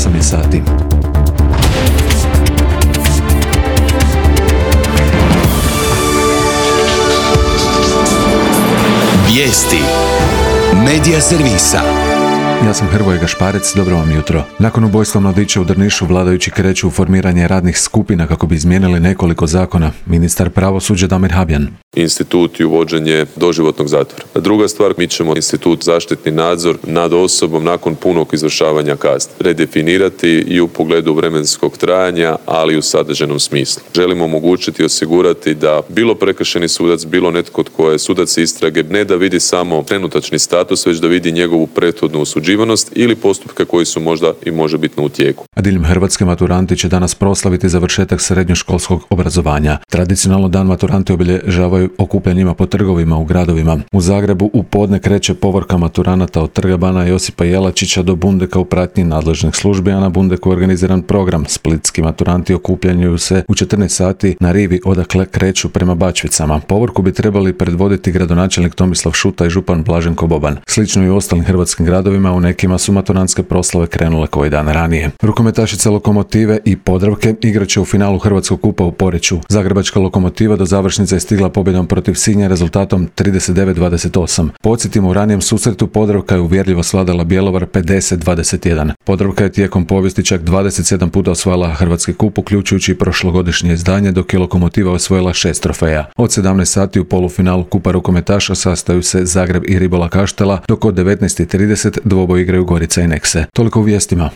8 je sati. Vijesti Medija servisa. Ja sam Hrvoje Gašparec, dobro vam jutro. Nakon ubojstva mladića u Drnišu vladajući kreću u formiranje radnih skupina kako bi izmijenili nekoliko zakona. Ministar pravosuđa Damir Habjan. Institut i uvođenje doživotnog zatvora. Druga stvar, mi ćemo institut zaštitni nadzor nad osobom nakon punog izvršavanja kazne redefinirati i u pogledu vremenskog trajanja, ali i u sadržajnom smislu. Želimo omogućiti i osigurati da bilo prekršajni sudac, bilo netko tko je sudac istrage, ne da vidi samo trenutačni status, već da vidi njegovu prethodnu osuđivanost ili postupke koji su možda i možebitno u tijeku. A diljem Hrvatske maturanti će danas proslaviti završetak srednjoškolskog obrazovanja. Tradicionalno dan maturanti obilježavaju okupljanjima po trgovima u gradovima. U Zagrebu u podne kreće povorka maturanata od Trga bana Josipa Jelačića do Bundeka u pratnji nadležnih službi, a na Bundeku je organiziran program. Splitski maturanti okupljanju se u 14 sati na rivi odakle kreću prema Bačvicama. Povorku bi trebali predvoditi gradonačelnik Tomislav Šuta i župan Blaženko Boban. Slično i u ostalim hrvatskim gradovima, u nekima su maturantske proslave krenule koji dan ranije. Rukometašice Lokomotive i Podravke igraće u finalu Hrvatskog kupa u Poreču. Zagrebačka Lokomotiva do završnice je stigla pobjedom protiv Sinja rezultatom 39-28. Podsjetimo, u ranijem susretu Podravka je uvjerljivo svladala Bjelovar 50-21. Podravka je tijekom povijesti čak 27 puta osvajala Hrvatski kup, uključujući i prošlogodišnje izdanje, dok je Lokomotiva osvojila 6 trofeja. Od 17 sati u polufinalu Kupa rukometaša sastaju se Zagreb i Ribola Kaštela, dok od 19:30 dvoboj igraju Gorica i Nekse. Toliko u vijestima.